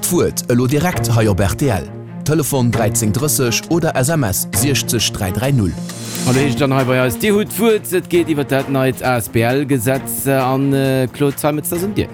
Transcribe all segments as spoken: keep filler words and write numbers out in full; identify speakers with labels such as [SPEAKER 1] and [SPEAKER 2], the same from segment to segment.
[SPEAKER 1] D'Wuert elo direkt hei op rtl. Telefon dräizéng drësseg oder S M S siechzeg dräi dräi null.
[SPEAKER 2] An do heescht et dann hei bei eis, Dir hutt d'Wuert, et geet iwwer dat neit A S B L-Gesetz an Claude Zeimetz, dat ass un dir.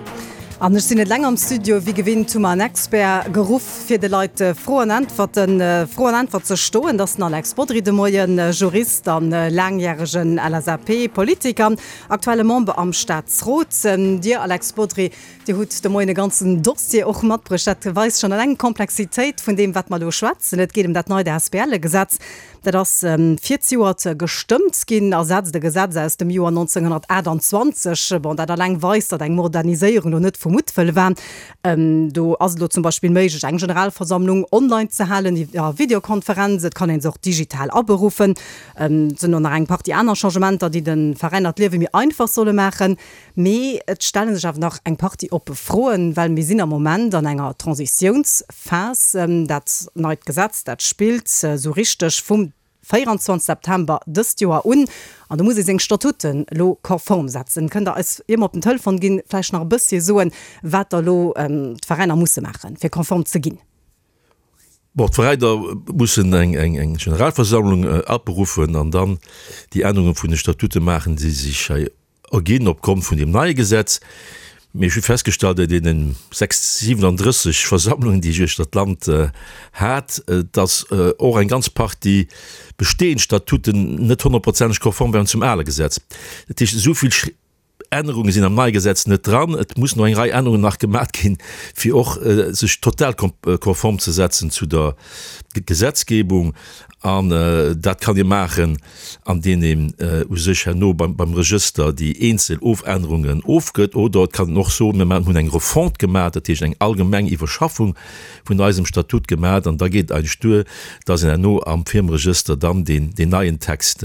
[SPEAKER 3] An ech sinn net eleng am Studio, wéi gewinnt hu mer en Expert geruff, fir de Leit Fro an Äntwerten, Fro an Äntwert ze stoen. Dat ass den Alex Bodry de Moien, Jurist an laangjäregen L S A P-Politiker, aktuelle Member am Staatsrot. Dir, Alex Bodry, Dir hutt de Moien e ganzen Dossier och matbruecht. Dat weist schonn eleng d'Komplexitéit vun deem, wat mer elo schwätzen. Et geet ëm dat neit A S B L-Gesetz. Dat ass virzejoert gestëmmt ginn a setzt e Gesetz aus dem Joer nonzénghonnertaachtanzwanzeg. Bon, dat eleng weist, datt eng Moderniséierung elo net vu Muttwëll war. Do ass et elo zum Beispill méiglech, eng Generalversammlung online ze halen iwwer Videokonferenz. Et kann ee se och digital aberuffen. Et sinn och nach eng Partie aner Changementer, déi de Veräiner d'Liewe méi einfach solle maachen. Mee et stelle sech awer nach eng Partie oppe Froen, well mir sinn am Moment an enger Transitiounsphas. Dat neit Gesetz, dat spillt esou richteg vum véierundzwanzeg September dëst Joer un an do muss ee seng Statuten elo konform setzen. Kënnt Der eis, ier mer op den Telefon ginn, vläicht nach e bësschen soen, wat da elo d'Veräiner musse maachen, fir konform ze ginn?
[SPEAKER 4] Bon, d'Veräiner mussen eng eng Generalversammlung aberuffen an dann déi Ännerunge vun de Statute maachen, déi sech hei erginn opgrond vun deem neie Gesetz. Mee ech hu festgestallt an deene sechs, siwenandrësseg Versammlungen, déi ech uechter d'Land hat, dass och eng ganz Partie bestehend Statuten net honnertprozenteg konform waren zum ale Gesetz. Dat heescht, esou vill Ännerunge sinn am neie Gesetz net dran. Et mussen och eng Rei Ännerungen nach gemaat ginn, fir och sech total konform ze setzen zu der Gesetzgebung. An dat kann ee maachen, andeem een u sech herno beim Regëster déi eenzel Ofännerungen ofgëtt. Oder et kann een och soen, mir hunn eng Refonte gemaach, dat heescht eng allgemeng Iwwerschaffung vun eisem Statut gemaach, an da geet et eigentlech duer, dass een herno am Firmeregëster dann deen neien Text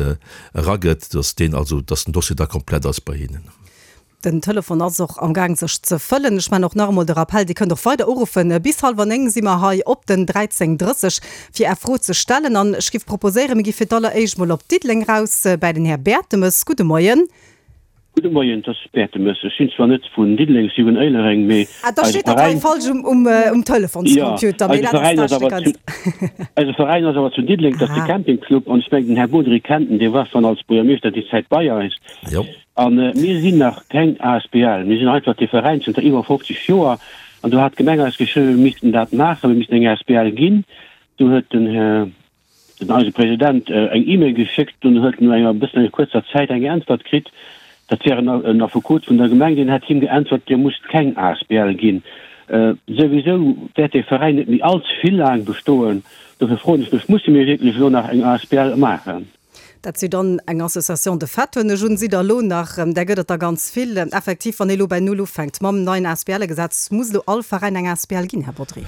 [SPEAKER 4] eragëtt, dass deen also, dass den Dossier da komplett ass bei hinnen.
[SPEAKER 3] Den Telefon ass och am Gaang sech ze fëllen. Ech maachen och nach emol de Rappell, Dir kënnt och weider uruffen. Bis hallwer néng si mer hei op den dräizéng drësseg fir Är Fro ze stellen. An ech giff proposéieren, mir gi fir d'alleréischt mol op Diddeleng raus bäi den Här Bertemes. Gudde Moien.
[SPEAKER 5] Gudde Moien, et ass Bertemes. Ech sinn zwar net vun Diddeleng, ech si vun Éilereng, mee
[SPEAKER 3] Ah, da
[SPEAKER 5] eise
[SPEAKER 3] steet dat hei
[SPEAKER 5] Veräin,
[SPEAKER 3] falsch um, um, um
[SPEAKER 5] jo,
[SPEAKER 3] Telefonscomputer, mee
[SPEAKER 5] eise
[SPEAKER 3] dat ass
[SPEAKER 5] Veräin ass
[SPEAKER 3] dat
[SPEAKER 5] awer
[SPEAKER 3] ganz.
[SPEAKER 5] zu, eise Veräin ass awer zu Diddeleng, dat ass de
[SPEAKER 3] Ah.
[SPEAKER 5] Camping Club an ech mengen den Här Bodry kennt en, dee war schonn als Buergermeeschter déi Zäit bei eis.
[SPEAKER 4] Jo.
[SPEAKER 5] An mir sinn nach keng A S B L, mir sinn einfach dee Veräin zënter iwwer fofzeg Joer. An do hat d'Gemeng eis geschriwwen, mir missten dat maachen, mir missten eng A S B L ginn. Do huet den Här, den eise President eng E-Mail geschéckt, dunn huet en no enger bëssen enger kuerzer Zäit eng Äntwert kritt, dat wär en Affekot vun der Gemeng, deen hätt him geäntwert, Dir musst keng A S B L ginn. Souwisou wäert dee Veräin net méi allze vill laang bestoen. Dofir froen ech mech, Musse mir wierklech elo nach eng A S B L maachen?
[SPEAKER 3] Dat si dann eng Association de fait, hunn ech un, sidd Der elo nach, där gëtt et der ganz vill. Effektiv, wann ee elo bei Null ufänkt mam neien A S B L-Gesetz, muss elo all Veräin eng A S B L ginn, Här Bodry?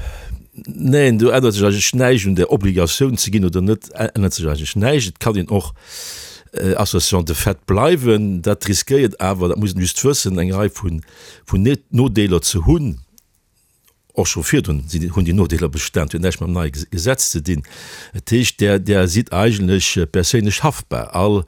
[SPEAKER 4] Neen, do ännert sech eigentlech näischt. Un der Obligatioun ze ginn oder net ännert sech eigentlech näischt. Et kann een och Association de fait bleiwen. Dat riskéiert awer, dat muss een just wëssen, eng Rei vun Nodeeler ze hunn. Och scho virdrun hunn déi Nodeeler bestan, huet näischt mam neie Gesetz ze dinn. Dat heescht, där, där sidd eigentlech perséinlech haftbar. All,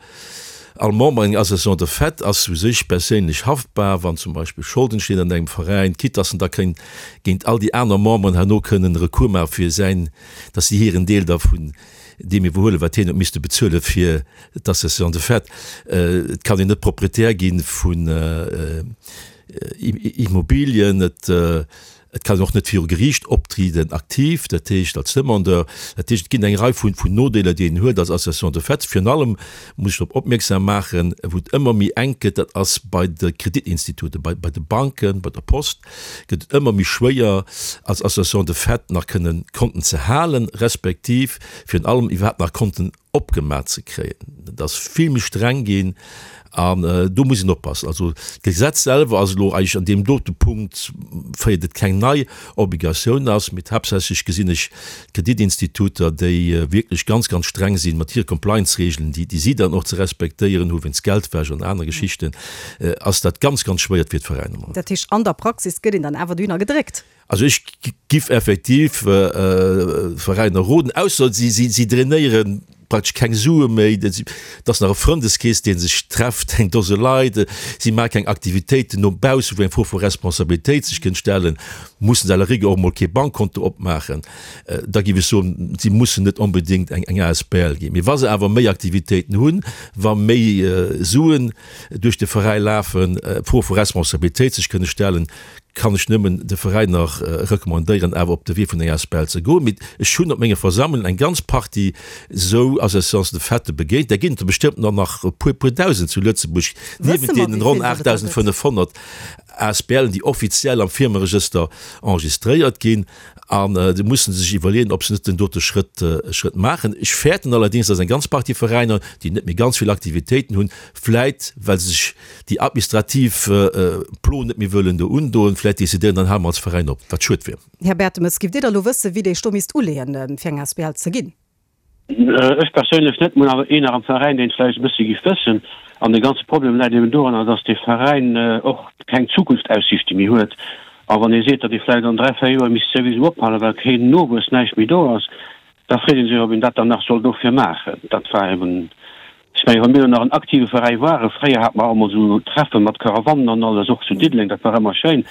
[SPEAKER 4] all Member enger Association de fait ass u sech perséinlech haftbar, wann zum Beispill Scholden stinn an engem Veräin, quitte dass en da kéint géint all déi aner Memberen herno kënnen Recours maache fir säin, dass si hiren Deel da vun deem iwwerhuelen, wat hien huet misste bezuele fir d'Association de fait. Et kann een net Proprietär gi vun Immobilien. Et Et kann een och net viru Geriicht optrieden aktiv, dat heescht als Demandeur. Dat heescht, et ginn eng Rei vun Nodeeler, déi een huet als Association de fait. Virun allem muss ech drop opmierksam maachen, wou et ëmmer méi enk gëtt, dat ass bei de Kreditinstituten, bei de Banken, bei der Post gëtt et ëmmer méi schwéier, als Association de fait nach kënnen Konten ze halen, respektiv virun allem iwwerhaapt nach Konten opgemaach ze kréien. Et ass vill méi streng ginn an do muss een oppassen. Also d'Gesetz selwer ass elo eigentlech an deem dote Punkt, féiert et keng nei Obligatioun ass, mee haaptsächlech gesinn ech d'Kreditinstituter, déi wierklech ganz, ganz streng sinn mat hire Compliance-Regeln, déi déi si dann och ze respektéieren hu wéinst Geldwäsch an aner Geschichten, ass dat ganz, ganz schwéier fir d'Veräiner.
[SPEAKER 3] Dat heescht, an der Praxis gëtt een dann awer dohinner gedréckt?
[SPEAKER 4] Also ech giff effektiv Veräiner roden, ausser si si drainéieren praktesch keng Sue méi, et ass nach e Frëndeskrees, dee sech trefft, eng Dose Leit, si maache keng Aktivitéiten no baussen, wou eng Fro vu Responsabilitéit sech kënnt stellen, mussen se à la rigueur och emol kee Bankkonto opmaachen. Da géif ech soen, si mussen net onbedéngt eng eng asbl ginn. Mee wa se awer méi Aktivitéiten hunn, wa méi Suen duerch de Veräi lafen, d'Fro vu Responsabilitéit sech kënne stellen, kann ech nëmmen de Veräiner recommandéieren, awer op de Wee vun enger asbl ze goen. Mee ech hunn op menge Versammlungen eng ganz Partie esou Associations de faite begéint. Där ginn et der bestëmmt nach nach e puer, puer Dausend zu Lëtzebuerg, niewent deenen ronn aachtdausendfënnefhonnert asbl'en, déi offiziell am Firmeregëster enregistréiert ginn. An déi musse sech iwwerleeën, ob se net den dote Schrëtt, Schrëtt maachen. Ech fäerten allerdéngs, dass eng ganz Partie Veräiner, déi net méi ganz vill Aktivitéiten hunn, vläit well se sech déi administrativ Plo net méi wëllen do undoen, vläit decidéieren, dann hale mer als Veräin op, wat schued wier.
[SPEAKER 3] Här Bertemes, giff Dir da lo wëssen, wéi dee Sto misst uleeën, fir eng asbl ze ginn?
[SPEAKER 5] Ech perséinlech net, mir hunn awer een nach am Veräin, deen et vläicht e bësse giff wëssen. An de ganze Problem läit eben doranner, dass dee Veräin och keng Zukunftsaussiichte méi huet. A wann ee seet, datt ee vläicht an dräi, véier Joer misst souwisou ophalen, well keen Nowuess, näischt méi do ass, da freet ee sech, ob een dat dann nach soll dofir maachen. Dat war eben, ech mengen, wa mir elo nach en aktive Veräi waren, fréier hate mer och emol esou Treffe mat Caravannen an alles, och zu Diddeleng, dat war ëmmer schéin,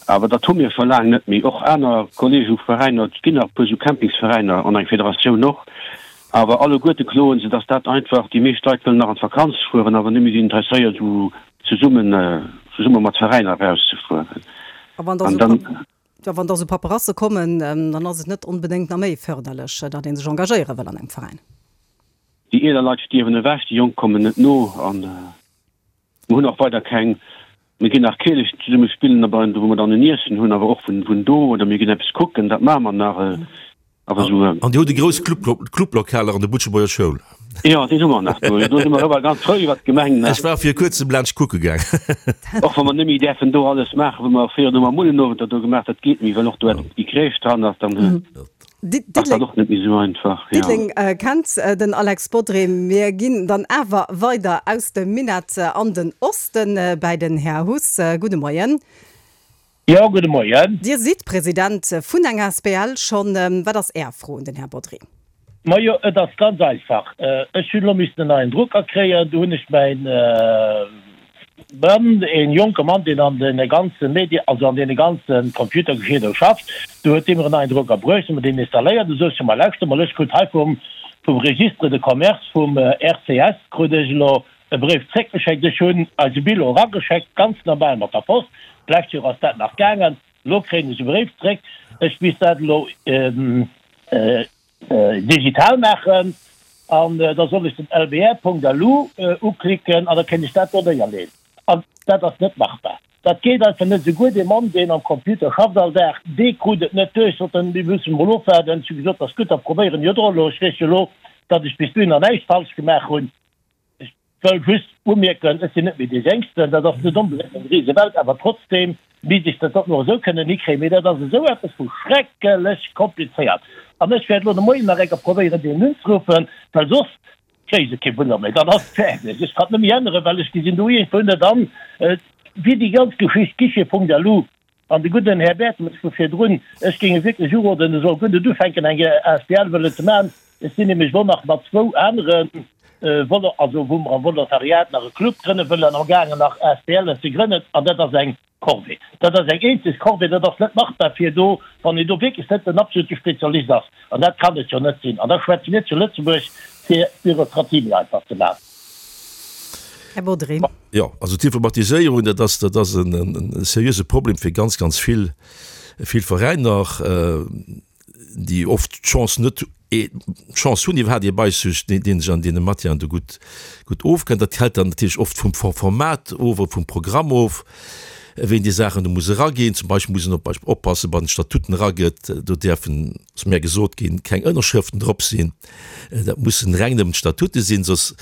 [SPEAKER 5] awer dat hu mir scho laang net méi. Och aner Kollege u Veräiner, et ginn nach e puer esou Campingsveräiner an eng Federatioun och, awer alleguerte kloen se, datt dat einfach, déi meescht Leit wëllen nach an d'Vakanz fueren, awer net méi sinn interesséiert esou zesummen, zesumme mat Veräiner erauszefueren.
[SPEAKER 3] A wann da sou, jo, wann da sou Paperasse kommen, dann ass et net onbedéngt nach méi fërderlech, datt ee sech engagéiere wëll an engem Veräin.
[SPEAKER 5] Déi eeler Leit stierwen ewech, déi Jonk kommen net no an mir hunn och weider keng, mir ginn nach Keelechen zesumme spillen, a wou mer dann en Iessen hunn, awer och vun do, oder mir ginn eppes kucken, dat maache mer nach.
[SPEAKER 4] Awer esou. An Dir hutt e grouss Clublokaler an der Butschebuerger Schoul.
[SPEAKER 5] Jo, deen hu mer nach do. Do si mer ëmmer ganz frou iwwer d'Gemeng.
[SPEAKER 4] Ech war vir kuerzem laanscht kucke gaang.
[SPEAKER 5] Och wa mer net méi däerfen do alles maachen, wou mer fréier do mam Mullenowender do gemaach, dat geet méi, well och do déi Crèche dran ass, dann ass dat och net méi esou einfach.
[SPEAKER 3] Diddeleng kennt den Alex Bodry. Mir ginn dann awer weider aus dem Minett an den Osten bäi den Här Huss. Gudde Moien.
[SPEAKER 6] Jo, gudde Moien.
[SPEAKER 3] Dir sidd President vun enger asbl schonn. Wat ass Är Fro un den Här Bodry?
[SPEAKER 6] Majo, et ass ganz einfach. Ech hunn elo missen en neien Drucker kréien. Do hunn ech mäin Mann, e jonke Mann, deen an deene ganze Medien, also an deene ganze Computergeschirr do schafft, do huet dee mir en neien Drucker bruecht, hu mer deen installéiert. Du sot ech, Ma lauschter mol, ech krut hei vum Registre de Commerce, vum R C S, krut ech elo e Bréif zréckgeschéckt. Ech hunn eise Bullo erageschéckt, ganz normal mat der Post. D'lescht Joer ass dat nach gaangen. Elo kréien ech e Bréif zréck, ech misst dat elo digital maachen an da soll ech den L B R Punkt L U uklicken an da kéint ech dat do néierleeën. An dat ass net machbar. Dat geet einfach net. Souguer dee Mann, deen am Computer schafft all Dag, dee krut et net duerch, sot en, mir mussen emol ofwaarden. Ech hu gesot, dat ass gutt, da probéieren jo der elo. Ech weess jo elo, datt ech bis dohinner näischt falsch gemaach hunn. Ech wëll just umierken, ech sinn net méi dee Jéngsten, dat ass net onbedéngt eng Risewelt, awer trotzdem misst ech dat och nach esou kënnen hikréien. Mee dat ass esou eppes vu schreckelech komplizéiert. An ech wäert elo de Moien nach eng Kéier probéieren, deen unzeruffen, well soss kréie se kee Bullo méi, dann ass et fäerdeg. Ech kann et net méi änneren, well ech gesinn do iergendwou net an, wéi déi ganz Geschicht Guichet Punkt L U. An de gudden Här Bertemes vu virdrun, ech géing e wierklech uroden, e soll guer net ufänken, eng asbl wëllen ze maachen. Ech sinn nämlech elo nach mat zwou anere Volo, also wou mer am Volontariat nach e Club grënne wëllen, amgaangen nach asbl'en ze grënnen. An dat ass eng Corvée. Dat ass eng eenzeg Corvée. Dat ass net machbar fir do, wann een do wierklech net den absolute Spezialist ass. An dat kann et jo net sinn. An da schwätze mir zu Lëtzebuerg, fir d'Bürokratie méi einfach ze maachen.
[SPEAKER 3] Här Bodry.
[SPEAKER 4] Jo, also d'Informatiséierung, dat ass, dat ass en seriöse Problem fir ganz, ganz vill, vill Veräiner, déi oft d'Chance net, d'Chance hunn iwwerhaapt ee bei sech, deen, dee sech an deene Matièren do gutt, gutt ofkennt. Dat hält dann natierlech oft vum Format of oder vum Programm of, wéi een déi Saachen do muss eraginn. Zum Beispill muss een op Beispill oppassen, wann Statuten eragëtt, do däerfen, ass mär gesot ginn, keng Ënnerschrëften drop sinn. Dat mussen reng nëmmen d'Statute sinn, soss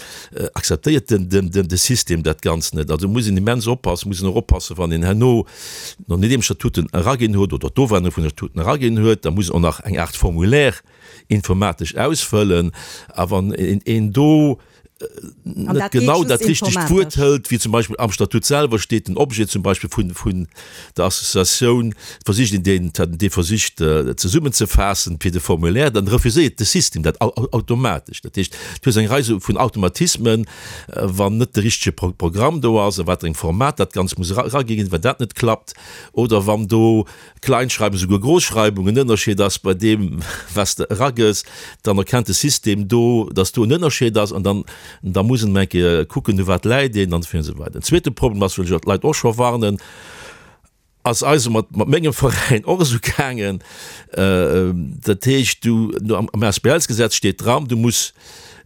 [SPEAKER 4] akzeptéiert den, den, den, de System dat Ganzt net. Also muss een immens oppassen, muss een och oppassen, wann een herno, nodeem d'Statuten eraginn huet oder d'Ofännerung vun de Statuten eraginn huet, da muss een och nach eng Aart Formulaire informatesch ausfëllen. A wann een, een do net genau dat richtegt Wuert hëlt, wéi zum Beispill am Statut selwer steet, den Objet zum Beispill vun, vun der Associatioun, versicht een deen, dee versicht zesummenzefaassen fir de Formulaire, dann refuséiert de System dat automatesch. Dat heescht, du hues eng Rei sou vun Automatismen, wann net de richtege Programm do ass, a wat fir engem Format dat Ganzt muss eragi ginn, wann dat net klappt, oder wann do Kleinschreibung, souguer Großschreibung en Ënnerscheed ass bei deem, wat s de eragëss, dann erkennt de System do, dass do en Ënnerscheed ass an dann, da muss en eng Kéier kucken, u wat läit een an esou weider. En zweete Problem ass, wëll ech och d'Leit och scho warnen, ass eis mat, mat mengem Veräin och esou gaangen, dat heescht, du, am A S B L-Gesetz steet dran, du muss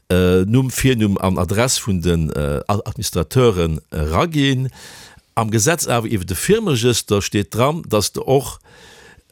[SPEAKER 4] Numm, Virnumm an Adress vun den Administrateuren eraginn. Am Gesetz awer iwwer de Firmeregëster steet dran, dass de och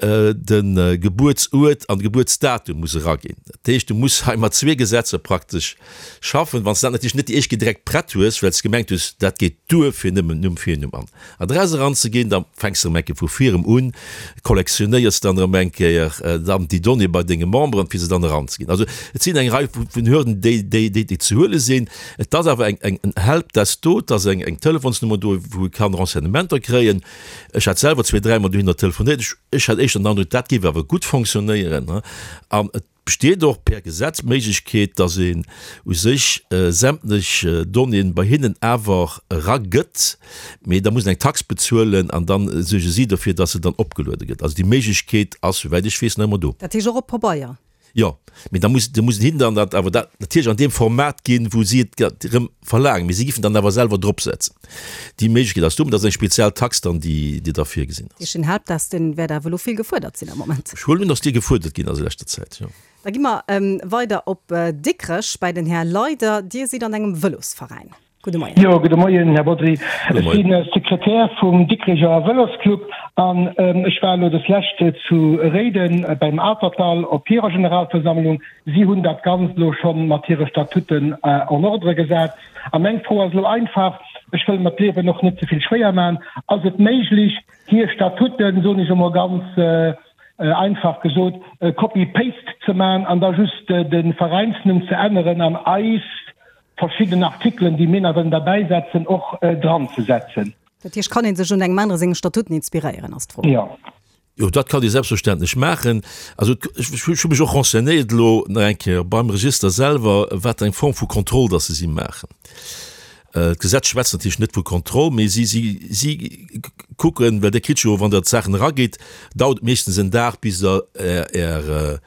[SPEAKER 4] de Gebuertsuert an de Gebuertsdatum muss eraginn. Dat heescht, du muss hei mat zwee Gesetzer praktesch schaffen. Wann s de dat natierlech net déi éischt Kéier direkt prett hues, well s de gemengt hues, dat geet duer fir nëmmen Numm, Virnumm an Adress eranzeginn, da fänks de erëm eng Kéier vu virem un, kollektionéiers dann erëm eng Kéier dann déi Donnéeë bei denge Memberen, fir se dann eranzeginn. Also et sinn eng Rei vun Hürden, déi, déi, déi ze huele sinn. Et ass awer eng, eng, en Helpdesk do, et ass eng, eng Telefonsnummer do, wou ee kann Renseignementer kréien. Ech hat selwer zwee, dräimol dohinner telefonéiert. Ech, ech hat éischter den Androck, dat géif awer gutt fonctionnéieren. An et besteet och per Gesetz d'Méiglechkeet, dass een u sech sämtlech Donnéeën bei hinnen awer eragëtt, mee da muss een eng Tax bezuelen an da suerge si dofir, dass se dann opgeluede gëtt. Also déi Méiglechkeet ass, souwäit ech weess, nach ëmmer do.
[SPEAKER 3] Dat heescht och op Pabeier?
[SPEAKER 4] Jo, mee da muss, da muss een hinnen dann dat awer dat natierlech an deem Format ginn, wou si et erëm verlaangen, mee si giffen dann awer selwer dropsetzen. Déi Méiglechkeet ass do, mee dat ass eng speziell Tax dann, déi, déi da virgesinn ass.
[SPEAKER 3] Deen Helpdesk, dee wäert awer elo vill gefuerdert sinn am Moment.
[SPEAKER 4] Ech huelen un, datt dee gefuerdert ginn ass a leschter Zäit, jo.
[SPEAKER 3] Da gi mer weider op Dikrech bei den Här Leyder. Dir sidd an engem Vëlosveräin. Gudde Moien.
[SPEAKER 7] Jo, gudde Moien, Här Bodry. Ech si Sekretär vum Dikrecher Vëlosclub an ech war elo des Lescht zu Réiden beim Atertdall op hirer Generalversammlung. Si hunn dat Ganzt elo scho mat hire Statuten en ordre gesat. A meng Fro ass elo einfach, ech wëll mer d'Liewen och net ze vill schwéier maachen, Ass et méiglech, hir Statuten, soen ech emol ganz einfach gesot, copy-paste ze maachen an da just de Veräinsnumm ze änneren an eis verschidden Artikelen, déi mir nach wëllen derbäisetzen, och dranzesetzen.
[SPEAKER 3] Dat heescht, kann ee sech un engem anere senge Statuten inspiréieren, ass d'Fro.
[SPEAKER 7] Jo.
[SPEAKER 4] Jo, dat kann ee selbstverständlech maachen. Also ech hu mech och renseignéiert elo nach eng Kéier beim Register selwer, wat eng Form vu Kontroll dass se si maachen. D'Gesetz schwätzt natierlech net vu Kontroll, mee si, si, si kucken, well Dir kritt jo, wann Der d'Saachen eragitt, dauert et meeschtens en Dag, bis Der Är,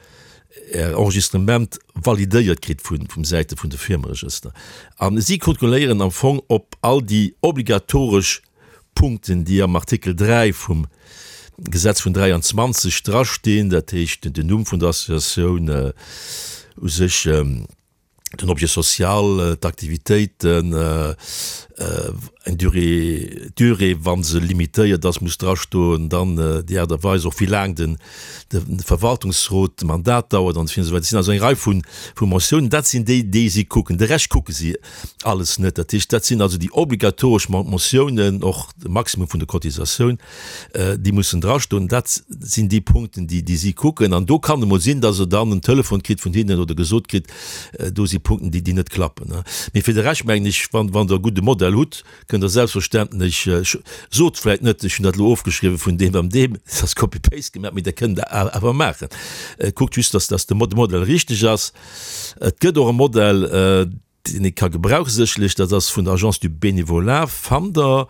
[SPEAKER 4] Är Enregistrement validéiert kritt vum Säite vun de Firmeregëster. A si kontrolléieren am Fong, ob all déi obligatoresch Punkten, déi am Artikel dräi vum Gesetz vun dräianzwanzeg drastinn, dat heescht den Numm vun der Associatioun, u sech den Objet social, d'Aktivitéiten, eng Durée, d'Durée, wa se limitéiert ass, muss drastoen, dann déi Aart a Weis och, wéi laang de Verwaltungsrot de Mandat dauert an esou weider. Et sinn also eng Rei vu Mentiounen. Dat sinn déi, déi si kucken. De Rescht kucke si alles net. Dat heescht, dat sinn also déi obligatoresch Mentiounen, och de Maximum vun der Cotisatioun, déi mussen drastoen. Dat sinn déi Punkten, déi déi si kucken. An do kann emol sinn, dass Der dann en Telefon kritt vun hinnen oder gesot kritt, do si Punkten, déi déi net klappen. Mee fir de Rescht mengen ech, wann wann Der e gudde Modell hutt, kënnt Der selbstverständlech, sot vläicht net, ech hunn dat elo ofgeschriwwen vun deem an deem, et ass Copy-paste gemaach, mee Der kënnt dat awer maachen. Kuckt just, dass dass de Modell richteg ass. Et gëtt och e Modell, deen ee ka gebrauchen, sécherlech, dat ass vun der Agence du Bénévolat, fannt Der.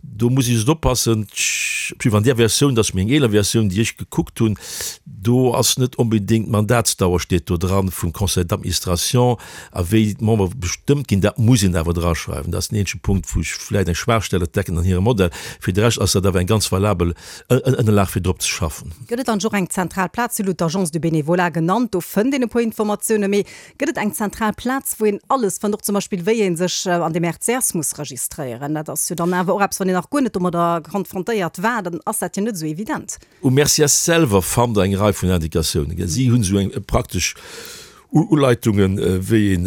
[SPEAKER 4] Do muss ee just oppassen, op jiddwer Fall an där Versioun, dat ass meng eeler Versioun, déi ech gekuckt hunn, do ass net onbedéngt d'Mandatsdauer steet do dran vum Conseil d'administration a wéi d'Membere bestëmmt ginn, dat muss een awer draschreiwen. Dat ass den eenzege Punkt, wou ech vläicht eng Schwaachstell entdecken an hirem Modell. Fir de Rescht ass dat awer eng ganz valabel Ënnerlag, fir drop ze schaffen.
[SPEAKER 3] Gëtt et dann och eng zentral Plaz? Dir hutt d'Agence du Bénévolat genannt, do fënnt een e puer Informatiounen, mee gëtt et eng zentral Plaz, wou een alles fënnt, och zum Beispill wéi ee sech an dem R C S muss registréieren? Dat ass jo dann awer och eppes, wann een nach guer net domadder konfrontéiert war, dann ass dat jo net esou evident.
[SPEAKER 4] Um R C S selwer fannt Der eng Rei vun Indikatiounen. Si hunn esou eng praktesch Uleitungen, wéi een,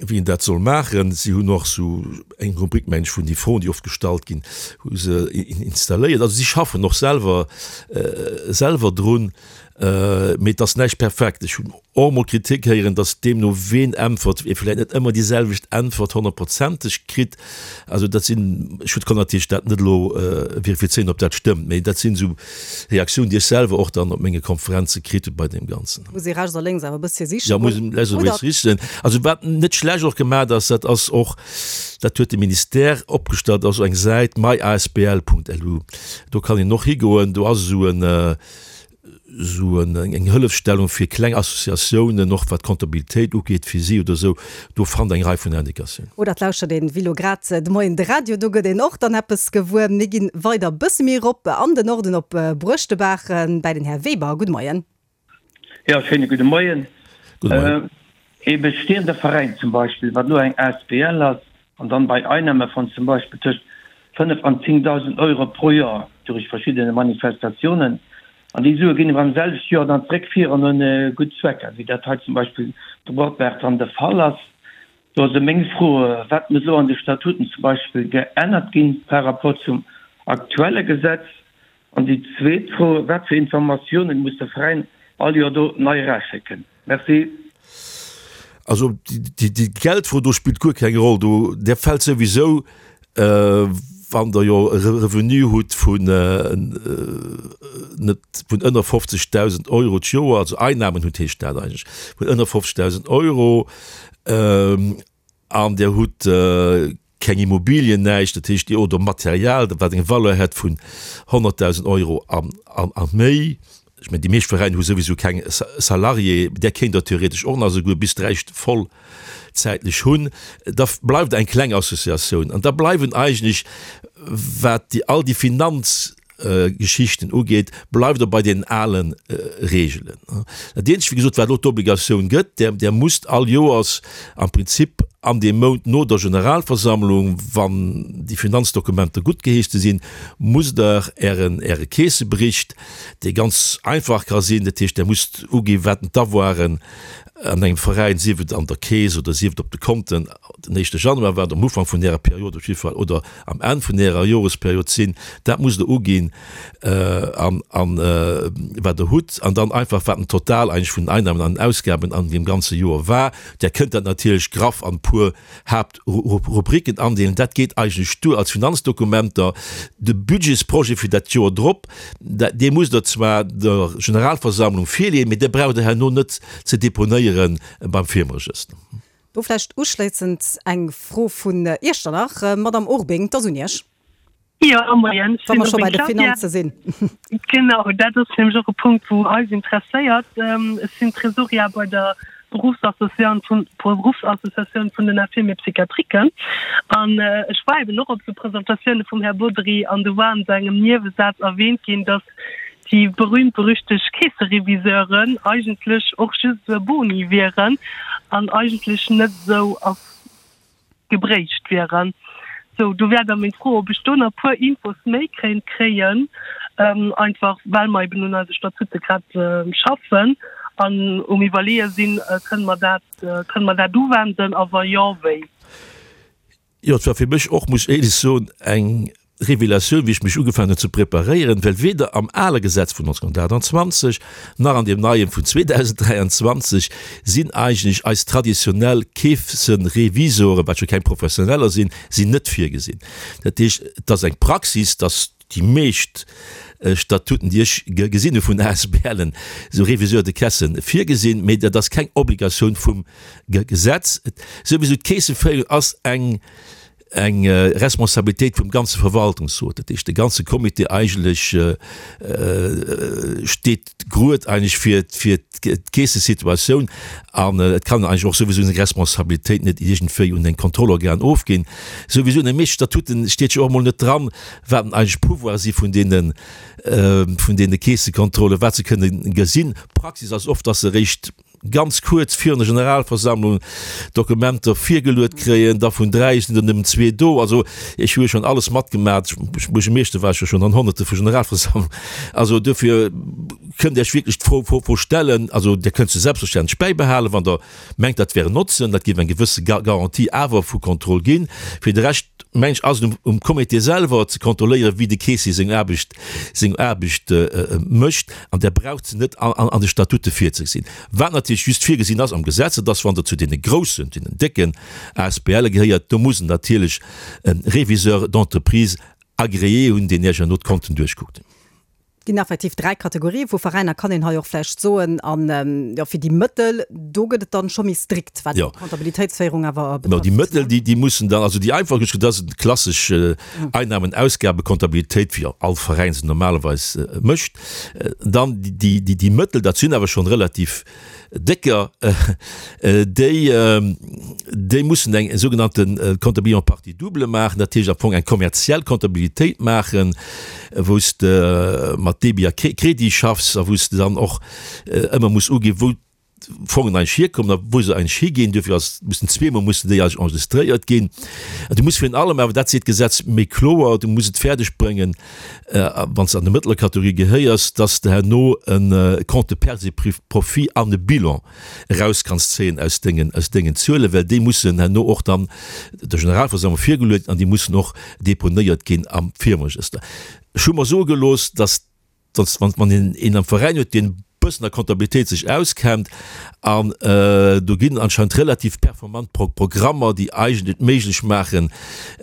[SPEAKER 4] wéi een dat soll maachen. Si hunn och esou eng Rubrik, meng ech, vun déi Froen, déi oft gestallt ginn, hu se installéiert. Also si schaffen och selwer, selwer drun, mee et ass näischt perfekt. Ech hunn och emol Kritik héieren, datt deemno ween äntwert, ee vläicht net ëmmer déi selwecht Äntwert honnertprozenteg kritt. Also dat sinn, ech kann natierlech dat net elo verifizéieren, ob dat stëmmt, mee dat sinn esou Reaktiounen, déi ech selwer och dann op menge Konferenze kritt hu bei deem Ganzen.
[SPEAKER 3] Muss ee rechts a lénks awer e bëssche sichen.
[SPEAKER 4] Jo, muss ee rechts a lénks sichen. Also wat net schlecht och gemaach ass, dat ass och, dat huet de Ministère opgestallt, ass eng Säit myasbl.lu. Do kann een och higoen, do ass esou en, esou eng Hëllefstellung fir kleng Associatiounen, och wat d'Comptabilitéit ugeet fir si oder esou, do fannt Der eng Rei vun Indicatiounen.
[SPEAKER 3] Oder et lauschtert een wéi lo grad de Moien de Radio, do gëtt een och dann eppes gewuer. Mir ginn weider e bësse méi erop an den Norden op Bruechtebaach bäi den Här Weber. Gudde Moien.
[SPEAKER 8] Jo, schéine gudde Moien.
[SPEAKER 4] Gudde Moien.
[SPEAKER 8] Ee bestehender Veräin zum Beispill, wat elo eng asbl ass, an dann bei Einnahme von zum Beispill tëscht fënnef an zéngdausend Euro pro Joer durich verschiddene Manifestatiounen, an déi Sue ginn awer am selwechte Joer dann zréck fir an un gutt Zwecker, wéi dat hei zum Beispill de Bordberg dann de Fall ass. Do ass meng Fro, Wat muss elo an de Statuten zum Beispill geännert ginn par rapport zum aktuelle Gesetz? An déi zweet Fro, Wat fir Informatiounen muss de Veräin all Joer do nei eraschécken? Merci.
[SPEAKER 4] Also déi Geldfro do spillt guer keng Roll do. Där fält souwisou, wann Der jo e Revenu hutt vun net vun ënner fofzegdausend Euro d'Joer, also Einnahmen hutt heescht dat eigentlech, vun ënner fofzegdausend Euro an Der hutt keng Immobilien, näischt, dat heescht, oder Material, wat eng Valeur hätt vun honnertdausend Euro a méi. Ech mengen, déi meescht Veräiner hu souwisou keng Salarié, där kéint Der theoretesch och nach esouguer bis dräi vollzäitlech hunn. Da bleift eng kleng Associatioun an da bleiwen eigentlech, wat déi all déi Finanzgeschichten ugeet, bleift Der bei deenen ale Reegelen. Dat eenzegt, wéi gesot, wat elo d'Obligatioun gëtt, Där, Där musst all Joers am Prinzip an deem Mount no der Generalversammlung, wann déi Finanzdokumenter guttgeheeschte sinn, musst Der Ären, Äre Keessebericht, dee ganz einfach ka sinn, dat heescht, Der musst uginn, wat d'Avoiren an engem Veräin, sief et an der Keess oder sief et op de Konten, den éischte Januar war, am Ufank vun Ärer Period op jidde Fall oder am Enn vun Ärer Joresperiod sinn, dat musst Der uginn an, an wat Der hutt an dann einfach, wat den Total eigentlech vun den Einnahmen an den Ausgaben an deem ganze Joer war. Der kënnt dat natierlech graff an e puer Haaptrubriken andeelen. Dat geet eigentlech duer als Finanzdokumenter. De Budgetsprojet fir dat Joer drop, dee musst Der zwar der Generalversammlung virleeën, mee dee braucht Der herno net ze deponéiere beim Firmeregëster.
[SPEAKER 3] Do vläicht uschléissend eng Fro vun Iechternach. Madamm Urbing, 't ass un Iech.
[SPEAKER 9] Jo, moien. Ech
[SPEAKER 3] Wa
[SPEAKER 9] sinn
[SPEAKER 3] mer scho
[SPEAKER 9] Urbing
[SPEAKER 3] bei de
[SPEAKER 9] Claudia.
[SPEAKER 3] Finanze sinn.
[SPEAKER 9] Genau, dat ass nämlech och e Punkt, wou eis interesséiert. Ech sinn Tresorière bei der Beruffsassociatioun vun, Beruffsassociatioun vun den Infirmiers psychiatriques. An ech war eben och op esou Presentatioune vum Här Bodry an do war an sengem Niewesaz erwähnt ginn, dass déi berühmt-berüchtegt Keessereviseuren eigentlech och just esou e Boni wieren an eigentlech net esou gebréicht wieren. Sou, do wär da meng Fro, ob ech do nach e puer Infos méi kéint kréien, einfach well mer eben un eise Statute grad schaffen an um Iwwerleeë sinn, Kënne mer dat, kënne mer dat uwenden a wa jo, wéi?
[SPEAKER 4] Jo, et war fir mech och, muss ech éierlech soen, eng Revelatioun, wéi ech mech ugefaangen hunn ze preparéieren, well weder am ale Gesetz vun neunzehnhundertachtundzwanzeg nach an deem neien vun zweedausendräianzwanzeg sinn eigentlech eis traditionell Keesserevisoren, wat jo keng Professioneller sinn, sinn net virgesinn. Dat heescht, et ass eng Praxis, dass déi meescht Statuten, déi ech gesinn hu vun ASBLen, esou Réviseurs de caisse virgesinn, mee dat ass keng Obligatioun vum Gesetz. Souwisou, d'Keesseféierung ass eng eng Responsabilitéit vum ganze Verwaltungsrot, dat heescht de ganze Comité eigentlech steet grued eigentlech fir fir d'Keessesituatioun an et kann een eigentlech och souwisou seng Responsabilitéit net iergendwéi un eng Kontrollorgan ofginn. Souwisou an de meeschte Statuten steet jo och emol net dran, wat denn eigentlech d'Pouvoire si vun deene vun deene Keessekontrollen, wat se kënne gesinn. D'Praxis ass oft, dass se eréischt ganz kuerz virun der Generalversammlung Dokumenter virgeluet kréien, da vun dräi sinn der nëmmen zwee do. Also ech hu jo schonn alles matgemat, Buergermeeschter war ech jo schonn an Honnerte vu Generalversammlungen. Also duerfir kënnt Iech wierklech d'Fro Fro stellen, also Dir kënnt se selbstverständlech bäibehalen, wann Der mengt, dat wär en Notzen, dat géif eng gewësse Garantie awer vu Kontroll ginn. Fir de Rescht, meng ech, ass et um Comité selwer ze kontrolléieren, wéi de Keessier seng Aarbecht seng Aarbecht mécht, an där braucht se net an de Statute virzegesinn. Wat natierlech just virgesinn ass am Gesetz, dat ass, wann Der zu deene groussen, deenen décken A S B L gehéiert, do muss en natierlech e Réviseur d'entreprise agréé hunn, deen Iech herno d'Konten duerchkuckt.
[SPEAKER 3] Ginn effektiv dräi Kategorië vu Veräiner, kann een hei och vläicht soen. An jo, fir déi Mëttel, do gëtt et dann scho méi strikt, wat d'Kontabilitéitsféierung awer
[SPEAKER 4] betrëfft. Déi Mëttel, déi, déi mussen dann, also déi einfach, dat ass klassesch Einnahmen-Ausgabe-Kontabilitéit, wéi all Veräin se normalerweis mécht. Dann déi, déi, déi Mëttel, dat sinn awer schonn relativ décker, déi, déi mussen eng sougenannte Comptabilité en partie double maachen, dat heescht am Fong eng kommerziell Comptabilitéit maachen, wou s de mat Débit a Crédit schaffs a wou s de dann och ëmmer muss uginn, wou d'Fongen eigentlech hierkommen a wou se eigentlech higinn. Duerfir ass, mussen zweemol mussen déi eigentlech enregistréiert ginn. An du muss virun allem awer, dat seet d'Gesetz méi kloer, du muss et fäerdeg bréngen, wann s de an de mëttler Kategorie gehéiers, dass de herno e Compte de pertes et profits an e Bilan eraus kanns zéien aus dengen, aus dengen Zuelen, well déi mussen herno och dann der Generalversammlung virgeluecht an déi mussen och deponéiert ginn am Firmeregëster. Ech hu mer soe gelooss, dass, dass wann, wann een een am Veräin huet, deen e bëssen a Comptabilitéit sech auskennt, an do ginn anscheinend relativ performant Pro, Programmer, déi eigentlech et méiglech maachen,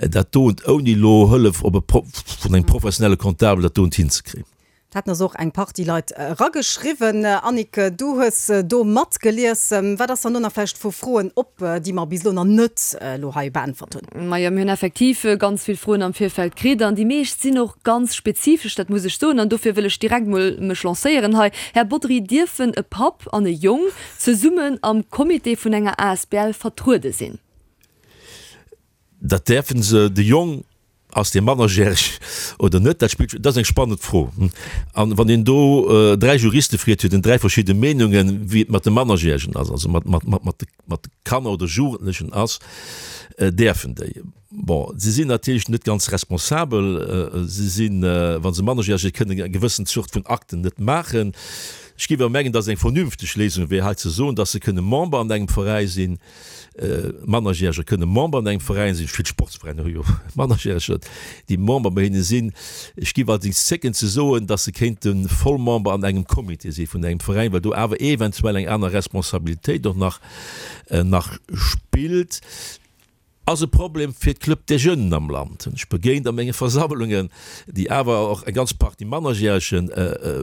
[SPEAKER 4] dat doen ouni elo Hëllef op e Pro, vun engem professionelle Comptable dat doen hinzekréien.
[SPEAKER 3] Dat haten eis och eng Partie Leit erageschriwwen. Annick, du hues do matgelies. Wat ass dann do nach vläicht vu Froen op, déi mer bis elo nach net elo hei beäntwert hunn?
[SPEAKER 10] Majo, mir hunn effektiv ganz vill Froen am Virfeld kritt an déi meescht sinn och ganz spezifesch, dat muss ech soen. An dofir wëll ech direkt mol mech lancéieren hei. Här Bodry, dierfen e Papp an e Jong zesummen am Comité vun enger asbl vertruede sinn?
[SPEAKER 4] Dat däerfe se. De Jong Ass dee mannerjäreg oder net? Dat spillt, dat ass eng spannend Fro. An wann een do dräi Juriste freet, huet en dräi verschidde Meenungen, wéi et mat de Mannerjäregen ass, also mat, mat, mat, mat de, mat de Kanner oder Jugendlechen ass. Däerfen déi? Bon, si sinn natierlech net ganz responsabel. Si sinn, wa se mannerjäreg sinn, kënnen eng gewëssen Zort vun Akten net maachen. Ech géif awer mengen, dass et eng vernünfteg Léisung wär, hei ze soen, dass se kënne Member an engem Veräi sinn. Mannerjäreger kënne Member an engem Veräin sinn. Vill Sportsveräiner hu jo Mannerjäreger, déi Member bei hinne sinn. Ech géif allerdéngs zécken ze soen, dass se kéinte Vollmember an engem Comité si vun engem Veräin, well do awer eventuell eng aner Responsabilitéit och nach nach spillt. Ass e Problem fir d'Club des Jeunes am Land, hunn ech begéint a menge Versammlungen, déi awer och eng ganz Partie Mannerjärege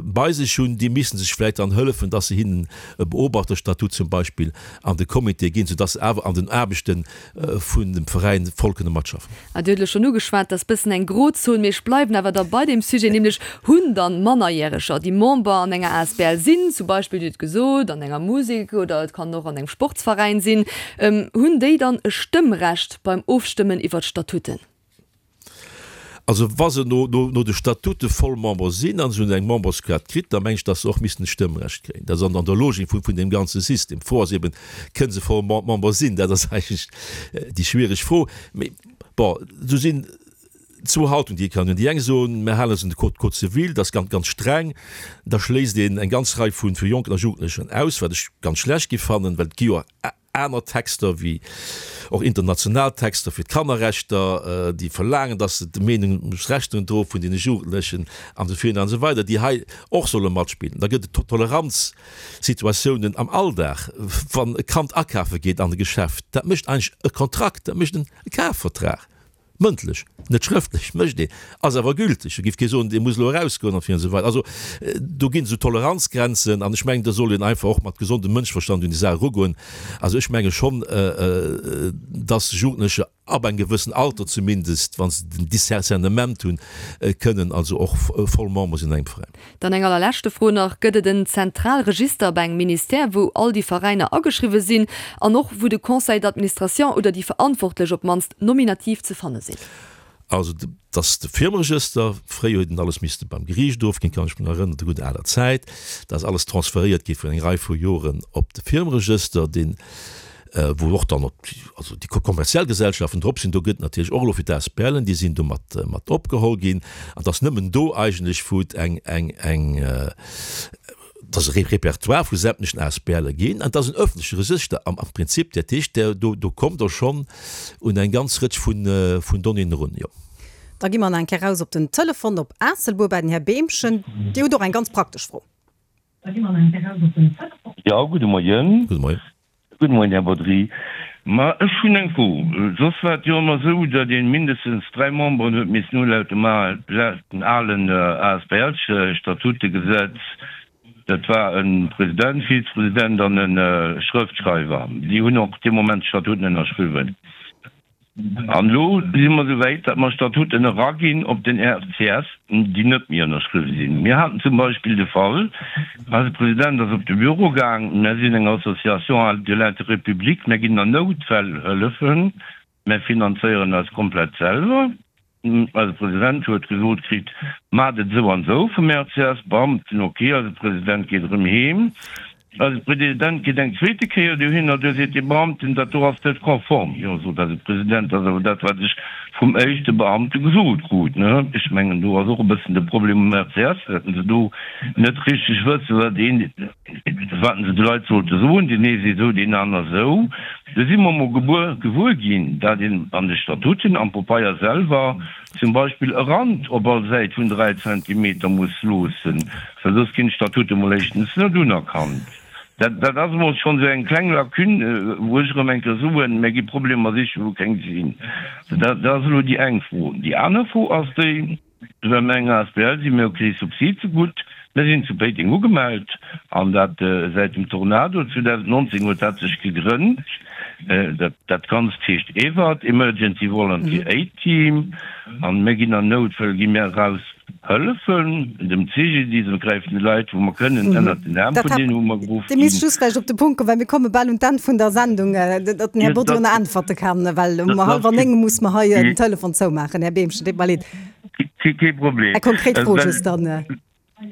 [SPEAKER 4] bei sech hunn. Déi misste sech vläicht dann hëllefen, dass se hinnen e Beobachterstatut zum Beispill an de Comité ginn, soudass se awer an den Aarbechte vun dem Veräin voll kënne matschaffen.
[SPEAKER 10] Dir hutt elo schonn ugeschwat, dat ass bëssen eng Grozon, mee ech bleiwen awer da bei deem Sujet, nämlech hunn dann Mannerjäreger, déi Member an enger asbl sinn, zum Beispill, Dir hutt gesot, an enger Musek oder et kann och an engem Sportsveräin sinn, hunn déi dann e Stëmmrecht beim Ofstëmmen iwwer d'Statuten?
[SPEAKER 4] Also wa se no no de Statute voll Member sinn a se hunn eng Memberskaart kritt, da meng ech, datt se och missten e Stëmmrecht kréien. Dat ass an der Logik vun deem ganze System. D'Fro ass eben, Kënne se voll Member sinn? Dat ass eigentlech déi schwiereg Fro. Mee bon, do sinn zwou Haltung, déi ee kann hunn. Déi eng soen, mir halen eis un de Code Code civil, dat ass ganz, ganz streng, da schléisst een eng ganz Rei vu vu Jonken a Jugendlechen aus, wat ech ganz schlecht géif fannen, well et gi jo aner Texter, wéi och international Texter fir d'Kannerrechter, déi verlaangen, datt se de Meenungsrechter droe vun deene Jugendlechen an esou virun an esou weider, déi hei och solle matspillen. Da gëtt et Toleranzsituatiounen am Alldag, wann e Kand akafe geet an e Geschäft, dat mécht eigentlech e Kontrakt, dat mécht e Kafvertrag. Mëndlech, net schrëftlech, mécht een, ass awer gülteg. Do géif kee soen, dee muss elo erausgoen an esou weider. Also do ginn esou Toleranzgrenzen an ech mengen, do soll een einfach och mat gesondem Mënschverstand un déi Saach erugoen. Also ech menge schonn, dass Jugendlecher ab engem gewëssen Alter zumindest, wa se den Discernement hunn, kënnen also och voll Member sinn an engem Veräin.
[SPEAKER 10] Dann eng allerleschte Fro nach, Gëtt et en zentral Register bei engem Ministère, wou all déi Veräiner ageschriwwe sinn an och wou de Conseil d'administration oder déi Verantwortlech op d'mannst nominativ ze fanne sinn?
[SPEAKER 4] Also et ass de Firmeregëster. Fréier huet een alles misste beim Geriicht ofginn, kann ech mech nach erënneren, der gudder aler Zäit. Da ass alles transferéiert gi vun eng Rei vu Joren op de Firmeregëster, deen, wou och dann also déi kommerziell Gesellschaften drop sinn. Do gëtt natierlech och elo fir d'ASBLen, déi sinn do mat mat opgeholl ginn. An et ass nëmmen do eigentlech, wou et eng eng eng dass e Repertoire vu sämtlechen Asbl'e ginn, an dat ass en öffentleche Regëster am Prinzip. Dat heescht, do do kommt Der schonn un eng ganz Rëtsch vun vun Donnéeën erun, jo.
[SPEAKER 3] Da gi mer nach eng Kéier raus op den Telefon op Aasselbuer bei den Här Behmchen. Dir hutt och eng ganz praktesch Fro.
[SPEAKER 8] Da gi mer nach eng Kéier raus op den Telefon. Jo, gudde Moien.
[SPEAKER 4] Gudde Moien.
[SPEAKER 8] Gudde Moien, Här Bodry. Ma ech hunn eng Fro. Soss war et jo ëmmer esou, datt ee mindestens dräi Memberen huet missen hu laut dem alen Asbl-Statutegesetz. Dat war e President, Vizepresident an e Schrëftschreiwer. Déi hunn och dee Moment d'Statuten ënnerschriwwen. An elo si mer esou wäit, datt mer Statuten eraginn op den RCS, déi net méi ënnerschriwwen sinn. Mir haten zum Beispill de Fall, eise President ass op de Büro gaang, Mär sinn eng Association de l'intérêt public, mär ginn an Noutfäll hëllefen, mär finanzéieren eis komplett selwer. Eise President huet gesot kritt, Maacht et esou an esou vum RCS. Beamten, Ok, eise President geet erëm heem. Eise President geet eng zweete Kéier dohinner, do seet dee Beamten, dat do ass net konform. Jo, sot eise President, dat ass awer dat, wat ech vum éischte Beamte gesot krut. Ech mengen, do ass och e bëssen de Problem um RCS, datt se do net richteg wëssen, wat een, wat se de Leit sollte soen. Deen ee seet esou, deen aner esou. Do si mer emol gebuer, gewuer ginn, dat een an de Statuten, am Popeier selwer zum Beispill e Rand op all Säit vun dräi Zentimeter muss loossen, well soss ginn d'Statute mol éischtens net unerkannt. Dat, dat ass emol schonn esou eng kleng Lacune, wou ech erëm eng Kéier soen, Mir gi Problemer sichen, wou keng sinn. Dat, dat ass elo déi eng Fro. Déi aner Fro ass déi, Well mir eng asbl sinn, mir hu kee Subsid zegutt. Mir sinn zu Péiteng ugemellt, an dat säit dem Tornado zweedausendnonzéng huet dat sech gegrënnt. Dat Ganzt heescht EVAT, Emergency Volunteer Aid Team, an mir ginn an Noutfäll gi mir eraus hëllefen dem C G D I S, mir gräifen de Leit wou mer kënnen ënnert den Aarm vun deenen wou mer geruff
[SPEAKER 3] Dir misst ginn. just vläicht op de Punkt kommen, well mir komme bal un d'Enn vun der Sendung, datt den Här Bodry nach äntwerte kann, well um hallwer néng muss mer hei den Telefon zoumaachen. Här Behmchen, deet mer leed.
[SPEAKER 8] Kee Problem.
[SPEAKER 3] Eng konkret Fro just dann.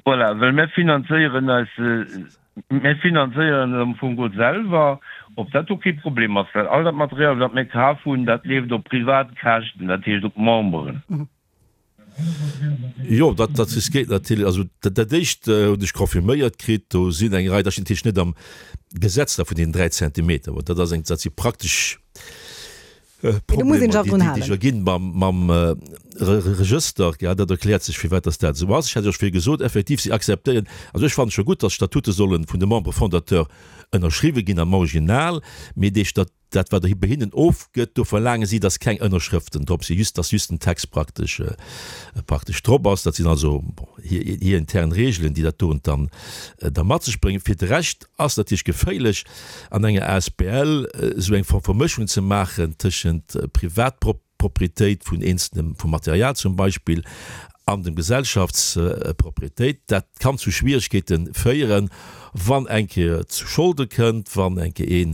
[SPEAKER 8] Voilà, well mir finanzéieren eis, mir finanzéieren am Fong geholl selwer, ob dat do kee Problem ass, well all dat Material, wat mir kaf hunn, dat leeft op privat Käschten, dat heescht op d'Memberen.
[SPEAKER 4] Jo, dat, dat riskéiert natierlech, also dat, dat éischt hunn ech confirméiert kritt, do sinn eng Rei, dat steet natierlech net am Gesetz da vun deenen dräi Zentimeter, mä dat ass eng, dat si praktesch Problemer, déi déi sech erginn mam, mam Regëster. Ja, dat erkläert sech, firwat dass dat esou ass. Ech hat jo scho gesot, effektiv, si akzeptéieren, also ech fannen et scho gutt, dass d'Statute solle vun de Membres fondateurs ënnerschriwwe ginn am Original, mee dee Stat, dat wat bei hinnen ofgëtt, do verlaange si, dass keng Ënnerschrëften drop sinn, just dass just den Text praktesch, praktesch drop ass. Dat sinn also, bon, hir, hir intern Regeln, déi dat doen dann da mat sech bréngen. Fir de Rescht ass natierlech geféierlech an enger asbl esou eng Form Vermëschung ze maachen tëschent Privatproprietéit vun eenzelnem, vum Material zum Beispill, an dem Gesellschaftsproprietéit. Dat kann zu Schwieregkeete féieren, wann eng Kéier et zu Scholde kënnt, wann eng Kéier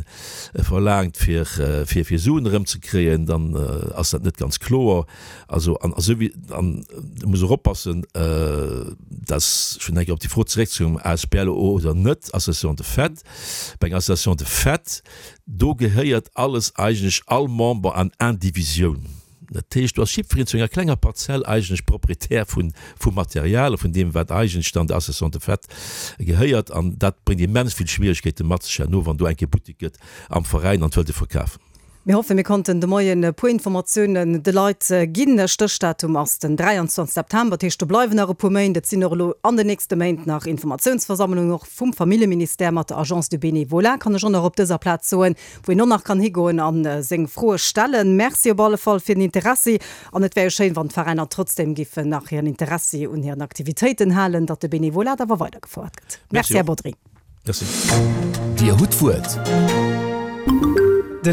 [SPEAKER 4] ee verlaangt fir fir Suen erëmzekréien, dann ass dat net ganz kloer. Also an esou wéi an do muss och oppassen, dass, ech wëll nach eng Kéier op déi Fro zeréckzekommen, asbl oder net, Association de fait, bei enger Association de fait, do gehéiert alles eigentlech all Member an Indivisioun. Dat heescht, do ass jiddwereen zu enger klenger Parzell eigentlech Proprietär vun, vum Material a vun deem, wat eigentlech dann der Association de fait gehéiert. An dat bréngt immens vill Schwierigkeete mat sech herno, wann do eng Kéier Buttek gëtt am Veräin an et wëllt ee verkafen.
[SPEAKER 3] Mir hoffen, mir konnten de Moien e puer Informatiounen de Leit ginn. Stéchdatum ass den dräianzwanzeg September, dat heescht, do bleiwen nach e puer Méint. Et sinn och elo an den nächste Méint nach Informatiounsversammlungen, och vum Familljeministère mat der Agence du Bénévolat, kann ech och nach op dëser Plaz soen, wou een och nach kann higoen a seng Froe stellen. Merci op alle Fall fir den Interessi. An et wär jo schéin, wann d'Veräiner trotzdem giffen nach hiren Interessi un hiren Aktivitéiten halen, datt de Bénévolat awer weidergefouert gëtt. Merci, Här Bodry.
[SPEAKER 4] Merci.
[SPEAKER 1] Dir hutt d'Wuert.